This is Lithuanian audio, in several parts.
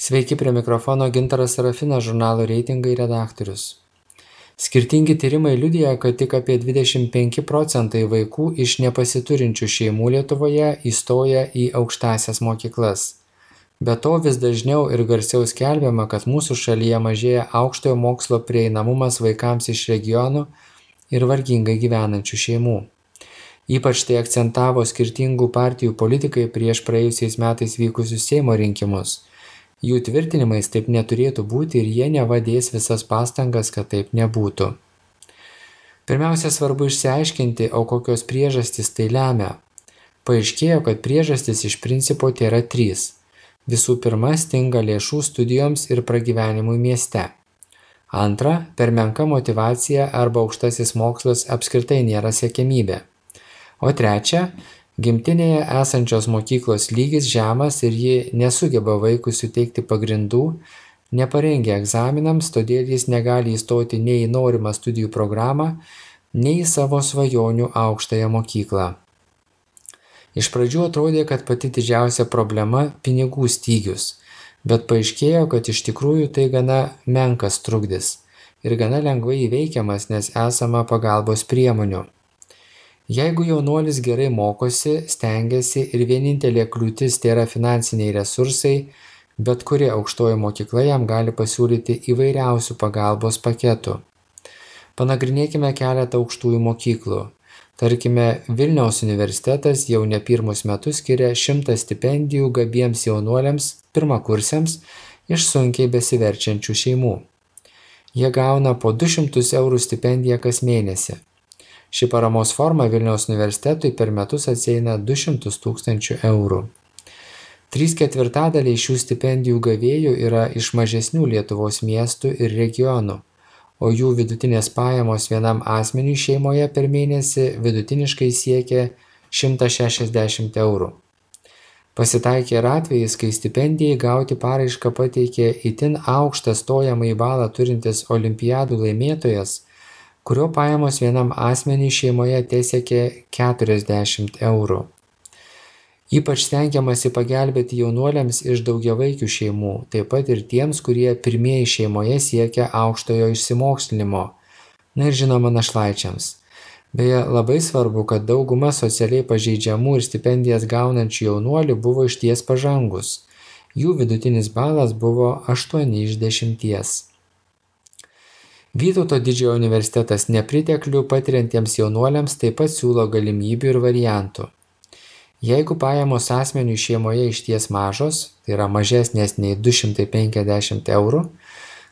Sveiki, prie mikrofono Gintaras Serafinas, žurnalo Reitingai redaktorius. Skirtingi tyrimai liudija, kad tik apie 25% vaikų iš nepasiturinčių šeimų Lietuvoje įstoja į aukštąsias mokyklas. Be to vis dažniau ir garsiau skelbiama, kad mūsų šalyje mažėja aukštojo mokslo prieinamumas vaikams iš regionų ir vargingai gyvenančių šeimų. Ypač tai akcentavo skirtingų partijų politikai prieš praėjusiais metais vykusius Seimo rinkimus. Jų tvirtinimais taip neturėtų būti ir jie neva dės visas pastangas, kad taip nebūtų. Pirmiausia, svarbu išsiaiškinti, o kokios priežastys tai lemia. Paaiškėjo, kad priežastys iš principo tėra 3. Visų pirma, stinga lėšų studijoms ir pragyvenimui mieste. Antra, per menka motyvacija arba aukštasis mokslas apskritai nėra siekiamybė. O trečia, gimtinėje esančios mokyklos lygis žemas ir ji nesugeba vaikui suteikti pagrindų, neparengia egzaminams, todėl jis negali įstoti nei į norimą studijų programą, nei į savo svajonių aukštąją mokyklą. Iš pradžių atrodė, kad pati didžiausia problema – pinigų stygius, bet paaiškėjo, kad iš tikrųjų tai gana menkas trukdis ir gana lengvai įveikiamas, nes esama pagalbos priemonių. Jeigu jaunuolis gerai mokosi, stengiasi ir vienintelė kliūtis tai yra finansiniai resursai, bet kuri aukštoji mokykla jam gali pasiūlyti įvairiausių pagalbos paketų. Panagrinėkime keletą aukštųjų mokyklų. Tarkime, Vilniaus universitetas jau ne pirmus metus skiria 100 stipendijų gabiems jaunuoliams pirmakursiams iš sunkiai besiverčiančių šeimų. Jie gauna po 200 eurų stipendiją kas mėnesį. Ši paramos forma Vilniaus universitetui per metus atsieina 200 000 eurų. 3/4 šių stipendijų gavėjų yra iš mažesnių Lietuvos miestų ir regionų, o jų vidutinės pajamos vienam asmeniui šeimoje per mėnesį vidutiniškai siekia 160 eurų. Pasitaikė ir atvejis, kai stipendijai gauti paraišką pateikė itin aukštą stojamąjį balą turintis olimpiadų laimėtojas, kurio pajamos vienam asmeniui šeimoje tesiekė 40 eurų. Ypač stengiamasi pagelbėti jaunuoliams iš daugiavaikių šeimų, taip pat ir tiems, kurie pirmieji šeimoje siekia aukštojo išsimokslinimo, na ir žinoma našlaičiams. Beje, labai svarbu, kad dauguma socialiai pažeidžiamų ir stipendijas gaunančių jaunuolių buvo išties pažangus. Jų vidutinis balas buvo 8 iš 10. Vytauto didžiojo universitetas nepriteklių patiriantiems jaunuoliams taip pat siūlo galimybių ir variantų. Jeigu pajamos asmeniui šeimoje išties mažos, tai yra mažesnės nei 250 eurų,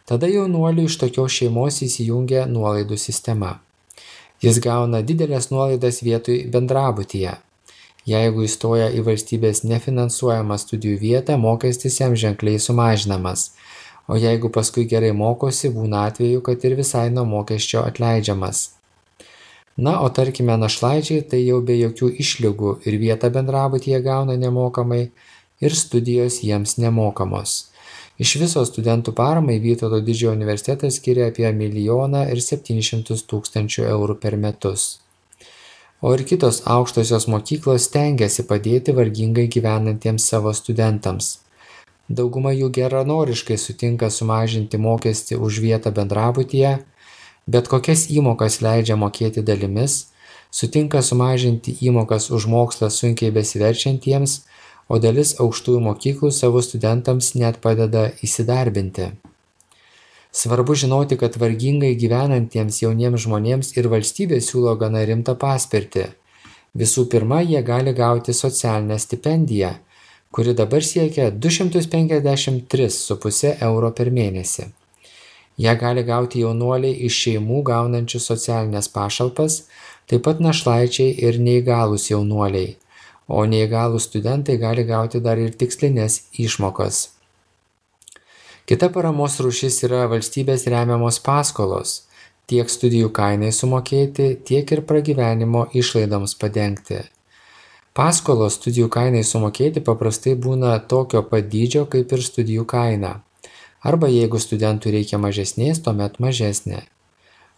tada jaunuoliui iš tokios šeimos įsijungia nuolaidų sistema. Jis gauna didelės nuolaidas vietoj bendrabutyje. Jeigu įstoja į valstybės nefinansuojamą studijų vietą, mokestis jam ženkliai sumažinamas. O jeigu paskui gerai mokosi, būna atveju, kad ir visai nuo mokesčio atleidžiamas. Na, o tarkime našlaičiai tai jau be jokių išlygų ir vietą bendrabutyje gauna nemokamai ir studijos jiems nemokamos. Iš viso studentų paramai Vytauto didžiojo universitetas skiria apie 1 700 000 eurų per metus. O ir kitos aukštosios mokyklos stengiasi padėti vargingai gyvenantiems savo studentams. Dauguma jų geranoriškai sutinka sumažinti mokestį už vietą bendrabutyje, bet kokias įmokas leidžia mokėti dalimis, sutinka sumažinti įmokas už mokslą sunkiai besiverčiantiems, o dalis aukštųjų mokyklų savo studentams net padeda įsidarbinti. Svarbu žinoti, kad vargingai gyvenantiems jauniems žmonėms ir valstybė siūlo gana rimtą paspirtį. Visų pirma, jie gali gauti socialinę stipendiją, kuri dabar siekia 253,5 eurų per mėnesį. Ją gali gauti jaunuoliai iš šeimų gaunančių socialinės pašalpas, taip pat našlaičiai ir neįgalūs jaunuoliai, o neįgalūs studentai gali gauti dar ir tikslinės išmokas. Kita paramos rūšis yra valstybės remiamos paskolos, tiek studijų kainai sumokėti, tiek ir pragyvenimo išlaidoms padengti. Paskolos studijų kainai sumokėti paprastai būna tokio pat dydžio kaip ir studijų kaina. Arba jeigu studentui reikia mažesnės, tuomet mažesnė.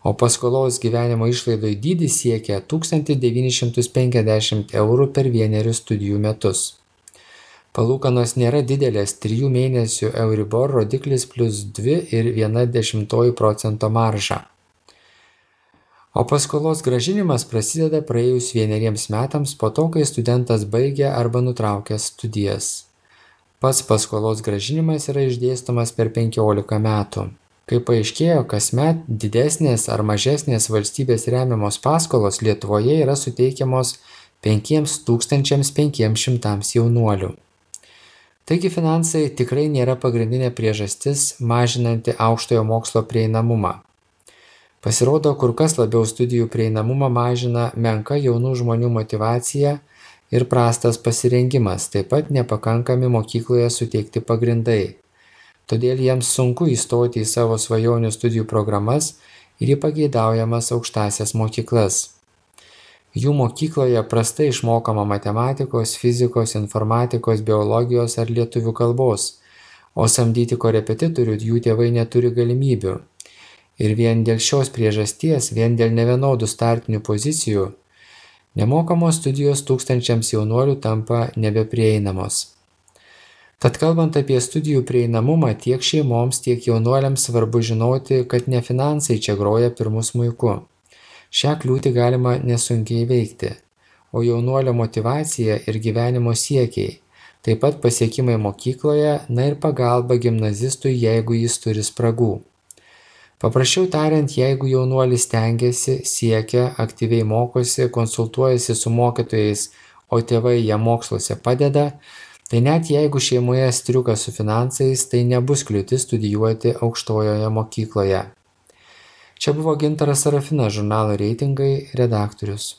O paskolos gyvenimo išlaidų dydis siekia 1950 eurų per 1 studijų metus. Palūkanos nėra didelės, 3 mėnesių Euribor rodiklis plus 2,1% marža. O paskolos grąžinimas prasideda praėjus 1 metams po to, kai studentas baigia arba nutraukia studijas. Pats paskolos grąžinimas yra išdėstomas per 15 metų. Kaip paaiškėjo, kasmet didesnės ar mažesnės valstybės remiamos paskolos Lietuvoje yra suteikiamos 5500 jaunuolių. Taigi finansai tikrai nėra pagrindinė priežastis mažinanti aukštojo mokslo prieinamumą. Pasirodo, kur kas labiau studijų prieinamumą mažina menka jaunų žmonių motyvacija ir prastas pasirengimas, taip pat nepakankami mokykloje suteikti pagrindai. Todėl jiems sunku įstoti į savo svajonių studijų programas ir į pageidaujamas aukštąsias mokyklas. Jų mokykloje prastai išmokama matematikos, fizikos, informatikos, biologijos ar lietuvių kalbos, o samdyti korepetitorių jų tėvai neturi galimybių. Ir vien dėl šios priežasties, vien dėl nevienodų startinių pozicijų, nemokamos studijos tūkstančiams jaunuolių tampa nebeprieinamos. Tad kalbant apie studijų prieinamumą, tiek šeimoms, tiek jaunuoliams svarbu žinoti, kad ne finansai čia groja pirmu smuiku. Šią kliūtį galima nesunkiai įveikti, o jaunuolio motyvacija ir gyvenimo siekiai, taip pat pasiekimai mokykloje, na ir pagalba gimnazistui, jeigu jis turi spragų. Paprasčiau tariant, jeigu jaunuolis stengiasi, siekia, aktyviai mokosi, konsultuojasi su mokytojais, o tėvai jam moksluose padeda, tai net jeigu šeimoje striuka su finansais, tai nebus kliūtis studijuoti aukštojoje mokykloje. Čia buvo Gintaras Serafinas, žurnalo Reitingai redaktorius.